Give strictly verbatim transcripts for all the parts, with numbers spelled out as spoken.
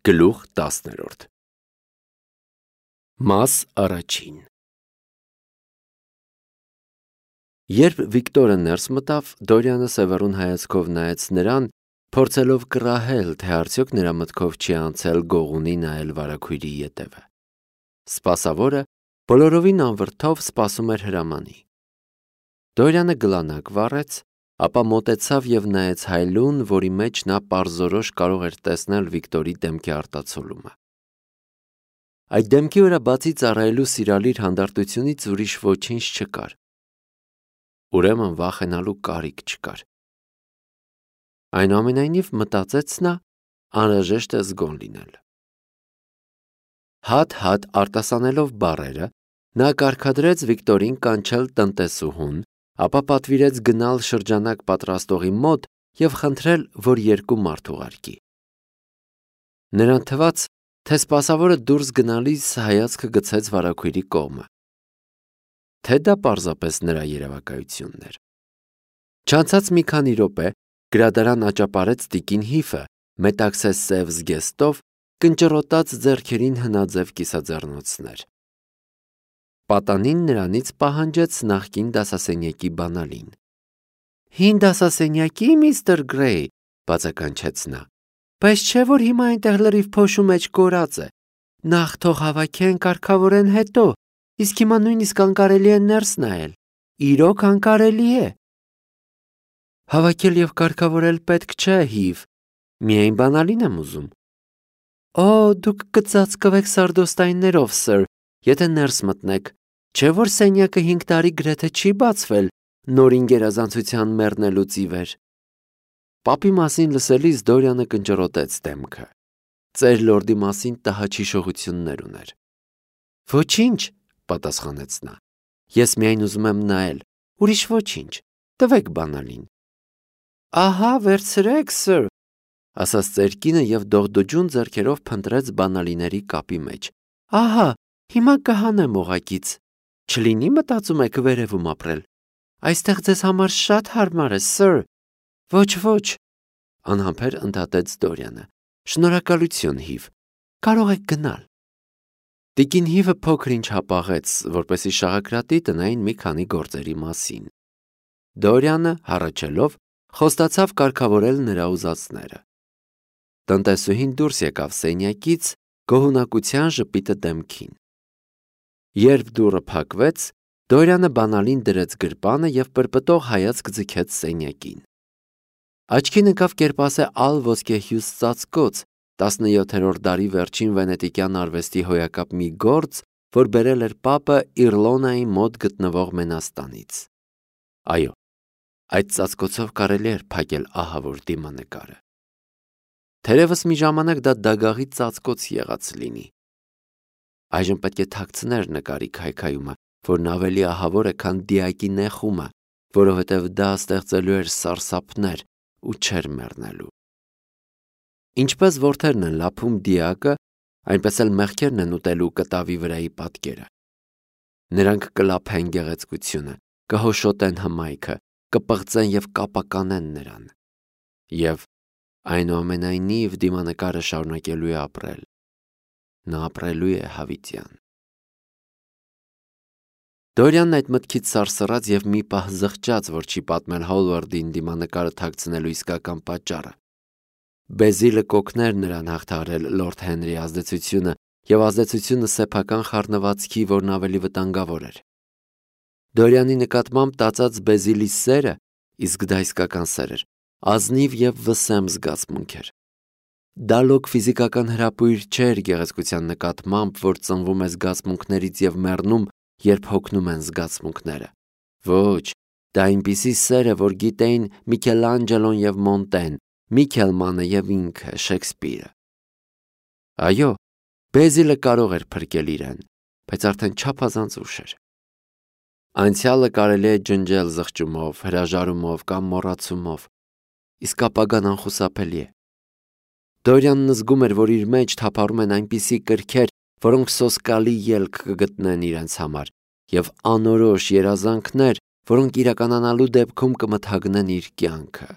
Գլուխ տասներորդ Մաս առաջին Երբ Վիկտորը ներս մտավ, Դորյանը սևեռուն հայացքով նայեց նրան, փորձելով կռահել, թե արդյոք նրա մտքով չի անցել գողունի նայել վարագույրի ետևը։ Սպասավորը բոլորովին անվրդով սպասում էր հրամանի։ Դորյանը գլանակ վառեց, ապա մոտեցավ և նայեց հայլուն, որի մեջ նա պարզորոշ կարող էր տեսնել Վիկտորի դեմքի արտացոլումը։ Այդ դեմքի վրա բացի ծառայելու սիրալիր հանդարտությունից ուրիշ ոչինչ չկար։ Ուրեմն վախենալու կարիք չկար։ Այնուամենայնիվ, մտածեց նա, անհրաժեշտ է զգոն լինել։ Հատ-հատ արտասանելով բառերը, նա կարգադրեց Վիկտորին կանչել տնտեսուհուն, ապա պատվիրեց գնալ շրջանակ պատրաստողի մոտ և խնդրել, որ երկու մարդ ուղարկի։ Նրան թվաց, թե սպասավորը դուրս գնալիս հայացքը գցեց վարագույրի կողմը, թե դա պարզապես նրա երևակայությունն էր։ Չանցած մի քանի րոպե գրադարան աճապարեց տիկին Հիֆը, մետաքսե սև զգեստով, կնճռոտած ձեռքերին հնաձև կիսաձեռնոցներ։ Պատանին նրանից պահանջեց նախկին դասասենյակի բանալին։ «Հին դասասենյակի, միստր Գրեյ», բացականչեց նա, «բայց չէ՞ որ հիմա այնտեղ լրիվ փոշու մեջ կորած է։ Նախ թող հավաքեն, կարգավորեն, հետո, իսկ հիմա նույնիսկ անկարելի է ներս նայել։ Իրոք անկարելի է»։ «Հավաքել և կարգավորել պետք չէ, Հիվ, միայն բանալին եմ ուզում»։ «Օ, դուք կծածկվեք սարդոստայններով, սըր, եթե ներս մտնեք, չէ՞ որ սենյակը հինգ տարի գրեթե չի բացվել նորին գերազանցության մեռնելուց ի վեր»։ Պապի մասին լսելիս Դորյանը կնճռոտեց դեմքը։ Ծեր լորդի մասին տհաճ հիշողություններ ուներ։ «Ոչինչ», պատասխանեց նա, «ես միայն ուզում եմ նայել, ուրիշ ոչինչ, տվեք բանալին»։ «Ահա, վերցրեք, սըր», ասաց ծեր կինը և դողդոջուն ձեռքերով փնտրեց բանալիների կապի մեջ։ «Ահա, հիմա կհանեմ օղակից, չլինի մտածում եք վերևում ապրել։ Այստեղ ձեզ համար շատ հարմար է, սըր»։ «Ոչ, ոչ», անհամբեր ընդհատեց Դորյանը, «շնորհակալություն, Հիվ, կարող եք գնալ»։ Տիկին Հիվը փոքր-ինչ հապաղեց, որպեսզի շաղակրատի տնային մի քանի գործերի մասին։ Դորյանը, հառաչելով, խոստացավ կարգավորել նրա ուզածները։ Տնտեսուհին դուրս եկավ սենյակից, գոհունակության ժպիտը դեմքին։ Երբ դուռը փակվեց, Դորյանը բանալին դրեց գրպանը և պրպտող հայացք ձգեց սենյակին։ Աչքին ընկավ կերպասե ալ ոսկեհյուս ծածկոց, տասնյոթերորդ դարի վերջին վենետիկյան արվեստի հոյակապ մի գործ, որ բերել էր պապը Իռլոնայի մոտ գտնվող մենաստանից։ Այո, այդ ծածկոցով կարելի էր փակել ահավոր դիմանկարը։ Թերևս մի ժամանակ դա դագաղի ծածկոց եղած լինի։ Այժմ պետք է թաքցներ նկարի քայքայումը, որն ավելի ահավոր է, քան դիակի նեխումը, որովհետև դա ստեղծելու էր սարսափներ ու չէր մեռնելու։ Ինչպես որդերն են լափում դիակը, այնպես էլ մեղքերն են ուտելու կտավի վրայի պատկերը։ Նրանք կլափեն գեղեցկությունը, կհոշոտեն հմայքը, կպղծեն և կապականեն նրան։ Եվ այնուամենայնիվ դիմանկարը շարունակելու է ապրել։ Նա ապրելու է հավիտյան։ Դորյանն այդ մտքից սարսռաց և մի պահ զղջաց, որ չի պատմել Հոլվարդին դիմանկարը թաքցնելու իսկական պատճառը։ Բեզիլը կօգներ նրան հաղթահարել լորդ Հենրիի ազդեցությունը և ազդեցությունը սեփական խառնվածքի, որն ավելի վտանգավոր էր։ Դորյանի նկատմամբ տածած Բեզիլի սերը, իսկ դա իսկական սեր էր, ազնիվ և վսեմ զգացմունք էր։ Դա լոկ ֆիզիկական հրապույր չէր գեղեցկության նկատմամբ, որ ծնվում է զգացմունքներից և մեռնում, երբ հոգնում են զգացմունքները։ Ոչ, դա այնպիսի սեր է, որ գիտեին Միքելանջելոն և Մոնտեն, Միքելմանը և ինքը, Շեքսպիրը։ Այո, Բեզիլը կարող էր փրկել իրեն, բայց արդեն չափազանց ուշ էր։ Անցյալը կարելի է ջնջել զղջումով, հրաժարումով կամ մոռացումով, իսկ ապագան անխուսափելի է։ Դորյանն զգում էր, որ իր մեջ թափառում են այնպիսի կրքեր, որոնք սոսկալի ելք կգտնեն իրենց համար, և անորոշ երազանքներ, որոնք իրականանալու դեպքում կմթագնեն իր կյանքը։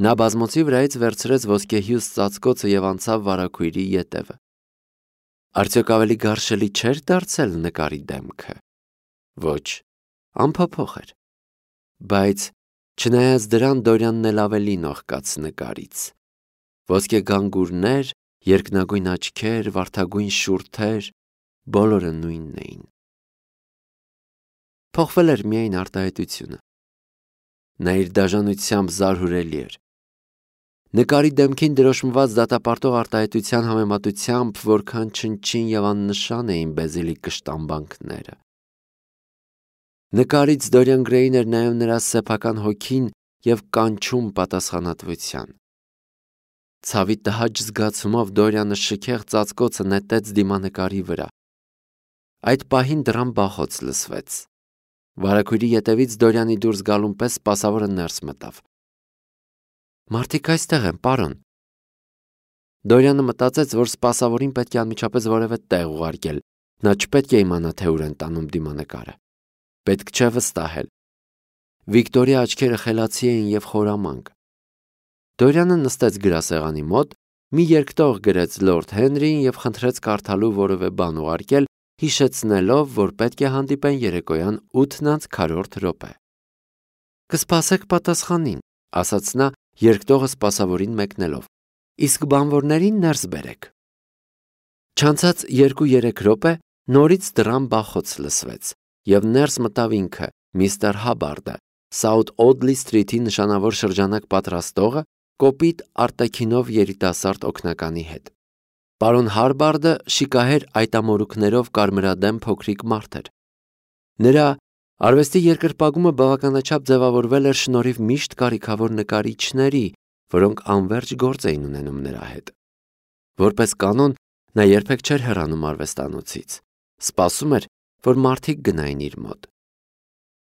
Նա բազմոցի վրայից վերցրեց ոսկեհյուս ծածկոցը և անցավ վարագույրի ետևը։ Արդյոք ավելի գարշելի չէր դարձել նկարի դեմքը։ Ոչ, անփոփոխ էր։ Բայց չնայած դրան Դորյանն էլ ավելի նողկաց նկարից։ Ոսկե գանգուրներ, երկնագույն աչքեր, վարդագույն շուրթեր, բոլորը նույնն էին։ Փոխվել էր միայն արտահայտությունը։ Նա իր դաժանությամբ զարհուրելի էր։ Նկարի դեմքին դրոշմված դատապարտող արտահայտության համեմատությամբ որքան չնչին և աննշան էին Բեզիլի կշտամբանքները։ Նկարից Դորիան Գրեյին էր նայում նրա սեփական հոգին և կանչում պատասխանատվության։ Ցավի տհաճ զգացումով Դորյանը շքեղ ծածկոցը նետեց դիմանկարի վրա։ Այդ պահին դռան բախոց լսվեց։ Վարագույրի ետևից Դորյանի դուրս գալուն պես սպասավորը ներս մտավ։ Մարդիկ այստեղ են, պարոն։ Դորյանը մտածեց, որ սպասավորին պետք է անմիջապես որևէ տեղ ուղարկել։ Նա չպետք է իմանա, թե ուր են տանում դիմանկարը։ Պետք չէ վստահել։ Վիկտորի աչքերը խելացի էին և խորամանկ։ Դորյանը նստեց գրասեղանի մոտ, մի երկտող գրեց Լորդ Հենրիին և խնդրեց կարդալու որևէ բան ուղարկել, հիշեցնելով, որ պետք է հանդիպեն երեկոյան ութն անց քառորդ րոպե։ Կսպասեք պատասխանին, ասաց նա, երկտողը սպասավորին մեկնելով, իսկ բանվորներին ներս բերեք։ Չանցած երկու-երեք րոպե նորից դռան բախոց լսվեց, և ներս մտավ ինքը, միստր Հաբարդը, Սաութ Օդլի Սթրիթի նշանավոր շրջանակ պատրաստողը, կոպիտ արտաքինով երիտասարդ օգնականի հետ։ Պարոն Հարբարդը շիկահեր այտամորուքներով կարմրադեմ փոքրիկ մարդ էր։ Նրա արվեստի երկրպագումը բավականաչափ ձևավորվել էր շնորհիվ միշտ կարիքավոր նկարիչների, որոնք անվերջ գործ էին ունենում նրա հետ։ Որպես կանոն, նա երբեք չէր հեռանում արվեստանոցից, սպասում էր, որ մարդիկ գնային իր մոտ։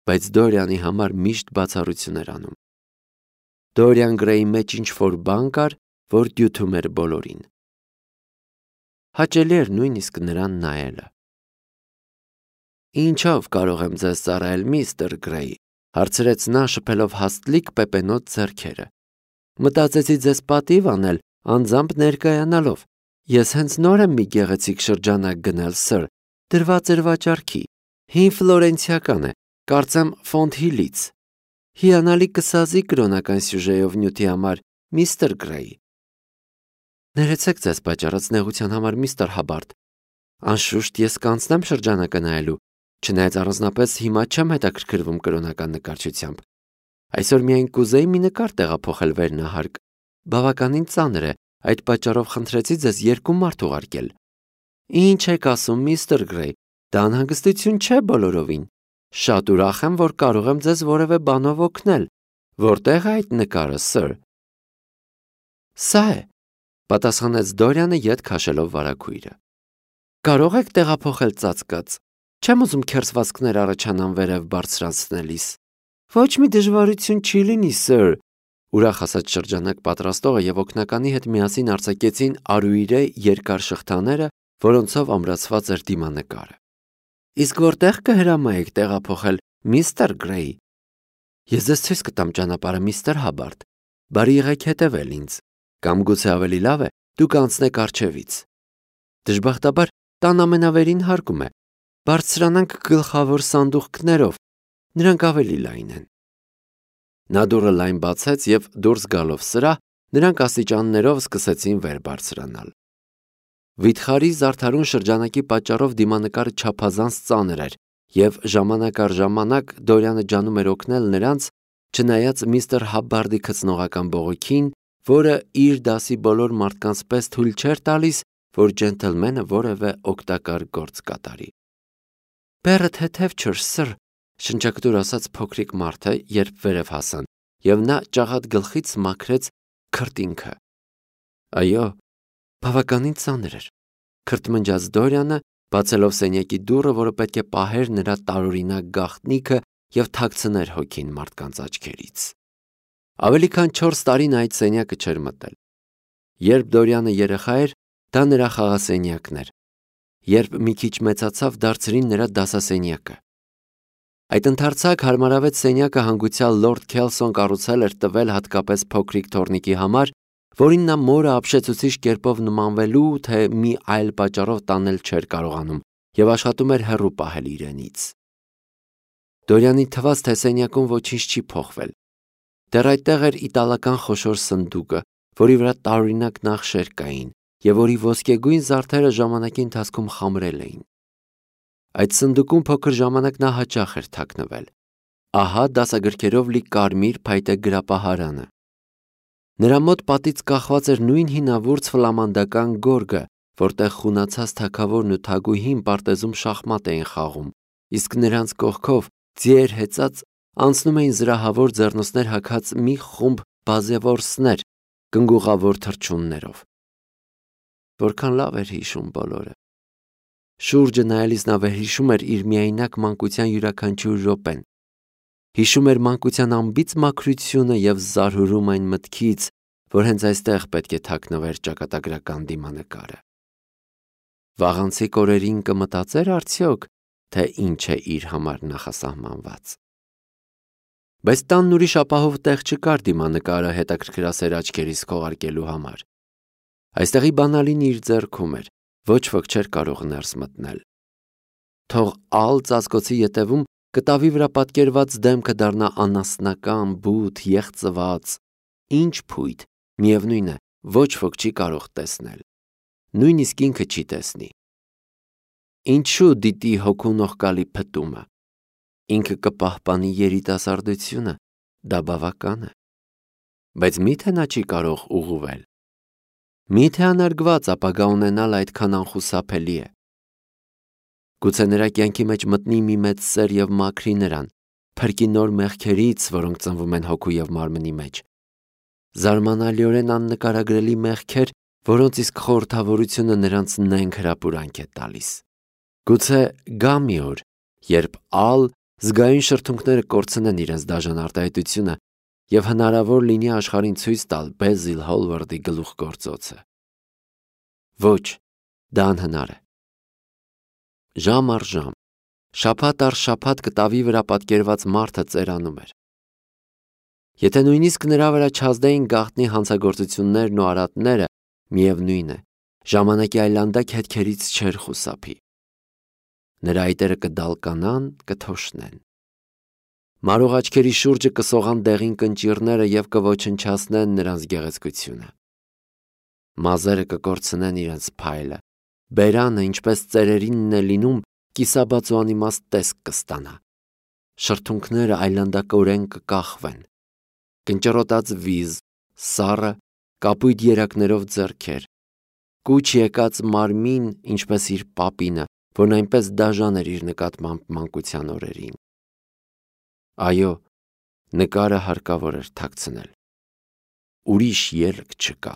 Բայց Դորյանի համար միշտ բացառություն էր անում։ Դորիան Գրեյի մեջ ինչ-որ բան կար, որ դյութում էր բոլորին։ Հաճելի էր նույնիսկ նրան նայելը։ Ինչով կարող եմ ձեզ ծառայել, միստր Գրեյ, հարցրեց նա, շփելով հաստլիկ պեպենոտ ձեռքերը։ Մտածեցի ձեզ պատիվ անել, անձամբ ներկայանալով։ Ես հենց նոր եմ մի գեղեցիկ շրջանակ գնել, սըր, դրված էր վաճառքի։ Հին ֆլորենցիական է, կարծեմ Ֆոնթհիլից։ Հիանալի կսազի կրոնական սյուժեով նյութի համար, միստր Գրեյ։ Ներեցեք ձեզ պատճառած նեղության համար, միստր Հաբարդ։ Անշուշտ ես կանցնեմ շրջանակը նայելու, չնայած առանձնապես հիմա չեմ հետաքրքրվում կրոնական նկարչությամբ։ Այսօր միայն կուզեի մի նկար տեղափոխել վերնահարկ։ Բավականին ծանր է, այդ պատճառով խնդրեցի ձեզ երկու մարդ ուղարկել։ Ինչ եք ասում, միստր Գրեյ, դա անհանգստություն չէ բոլորովին։ Շատ ուրախ եմ, որ կարող եմ ձեզ որևէ բանով օգնել։ Որտեղ է այդ նկարը, սըր։ Սա է, պատասխանեց Դորյանը ետ քաշելով վարագույրը։ Կարող եք տեղափոխել ծածկած։ Չեմ ուզում քերծվածքներ առաջանան վերև բարձրանցնելիս։ Ոչ մի դժվարություն չի լինի, սըր, ուրախ ասաց շրջանակ պատրաստողը և օգնականի հետ միասին արձակեցին արուիրե երկար շղթաները, որոնցով ամրացված էր դիմանկարը։ Իսկ որտեղ կհրամայեք տեղափոխել, միստր Գրեյ։ Ես ձեզ ցույց կտամ ճանապարհը, միստր Հաբարդ։ Բարի եղեք հետևել ինձ, կամ գուցե ավելի լավ է, դուք անցնեք առջևից։ Դժբախտաբար տան ամենավերին հարկում է։ Բարձրանանք գլխավոր սանդուղքներով, նրանք ավելի լայն են։ Նա դուռը լայն բացեց և դուրս գալով սրահ, նրանք աստիճաններով սկսեցին վեր բարձրանալ։ Վիթխարի զարդարուն շրջանակի պատճառով դիմանկարը չափազանց ծանր էր, և ժամանակ առ ժամանակ Դորյանը ջանում էր օգնել նրանց, չնայած միստր Հաբբարդի քծնողական բողոքին, որը իր դասի բոլոր մարդկանց պես թույլ չէր տալիս, որ ջենթլմենը որևէ օգտակար գործ կատարի։ Բեռը թեթև չէր, սըր, շնչակտուր ասաց փոքրիկ մարդը, երբ վերև հասան, և նա ճաղատ գլխից մաքրեց քրտինքը։ Այո, բավականին ծանր էր, քրթմնջաց Դորյանը, բացելով սենյակի դուռը, որը պետք է պահեր նրա տարօրինակ գաղտնիքը և թաքցներ հոգին մարդկանց աչքերից։ Ավելի քան չորս տարի նա այդ սենյակը չէր մտել։ Երբ Դորյանը երեխա էր, դա նրա խաղասենյակն էր։ Երբ մի քիչ մեծացավ, դարձրին նրա դասասենյակը։ Այդ ընդարձակ հարմարավետ սենյակը հանգուցյալ լորդ Քելսոն կառուցել էր տվել հատկապես փոքրիկ թոռնիկի համար, որին նա մորը ապշեցուցիչ կերպով նմանվելու, թե մի այլ պատճառով տանել չէր կարողանում եւ աշխատում էր հեռու պահել իրենից։ Դորյանի թվաց, թե սենյակում ոչինչ չի փոխվել։ Դեռ այդտեղ էր իտալական խոշոր սնդուկը, որի վրա տարօրինակ նախշեր կային եւ որի ոսկեգույն զարդերը ժամանակի ընթացքում խամրել էին։ Այդ սնդուկում փոքր ժամանակ նա հաճախ էր թաքնվել։ Ահա դասագրքերով լի կարմիր փայտե գրապահարանը։ Նրա մոտ պատից կախված էր նույն հինավուրց ֆլամանդական գորգը, որտեղ խունացած թագավորն ու թագուհին պարտեզում շախմատ էին խաղում, իսկ նրանց կողքով ձիեր հեծած անցնում էին զրահավոր ձեռնոցներ հագած մի խումբ բազևորսներ կնգուղավոր թռչուններով։ Որքան լավ էր հիշում բոլորը։ Շուրջը նայելիս նա վերհիշում էր իր միայնակ մանկության յուրաքանչյուր րոպեն։ Հիշում էր մանկության անբիծ մաքրությունը եւ զարհուրում այն մտքից, որ հենց այստեղ պետք է թաքնվեր ճակատագրական դիմանկարը։ Վաղանցի կորերին կմտածեր արդյոք, թե ինչ է իր համար նախասահմանված։ Բայց տանն ուրիշ ապահով տեղ չկար դիմանկարը հետաքրքրասեր աչքերից քողարկելու համար։ Այստեղի բանալին իր ձեռքում էր, ոչ ոք չէր կարող ներս մտնել։ Թող ալ ծածկոցի ետևում կտավի վրա պատկերված դեմքը դառնա անասնական, բութ, եղծված, ինչ փույթ, միևնույն է, ոչ ոք չի կարող տեսնել։ Նույնիսկ ինքը չի տեսնի։ Ինչու դիտի հոգունողկալի փտումը։ Ինքը կպահպանի երիտասարդությունը, դա բավական է։ Բայց միթե նա չի կարող ուղղվել։ Միթե անարգված ապագա ունենալ այդքան անխուսափելի է։ Գուցե նրա կյանքի մեջ մտնի մի մեծ սեր եւ մաքրի նրան, փրկի նոր մեղքերից, որոնք ծնվում են հոգու եւ մարմնի մեջ։ Զարմանալիորեն աննկարագրելի մեղքեր, որոնց իսկ խորհրդավորությունը նրանց նենգ հրապուրանք է տալիս։ Գուցե գա մի օր, երբ ալ զգայուն շրթունքները կորցնեն իրենց դաժան արտահայտությունը եւ հնարավոր լինի աշխարհին ցույց տալ Բեզիլ Հոլվարդի գլուխգործոցը։ Ոչ, դա անհնար է։ Ժամ առ ժամ, շաբաթ առ շաբաթ կտավի վրա պատկերված մարդը ծերանում էր։ Եթե նույնիսկ նրա վրա չազդեին գաղտնի հանցագործություններն ու արատները, միևնույն է, ժամանակի այլանդակ հետքերից չէր խուսափի։ Նրա այտերը կդալկանան, կթոշնեն։ Մարող աչքերի շուրջը կսողան դեղին կնճիռները եւ կոչնչացնեն նրանց գեղեցկությունը։ Մազերը կկորցնեն իրենց փայլը, բերանը, ինչպես ծերերինն է լինում, կիսաբաց ու անիմաստ տեսք կստանա։ Շրթունքները այլանդակորեն կկախվեն։ Կնճռոտած վիզ, սառը, կապույտ երակներով ձեռքեր, կուչ եկած մարմին, ինչպես իր պապինը, որն այնպես դաժան էր իր նկատմամբ մանկության օրերին։ Այո, նկարը հարկավոր էր թաքցնել։ Ուրիշ ելք չկա։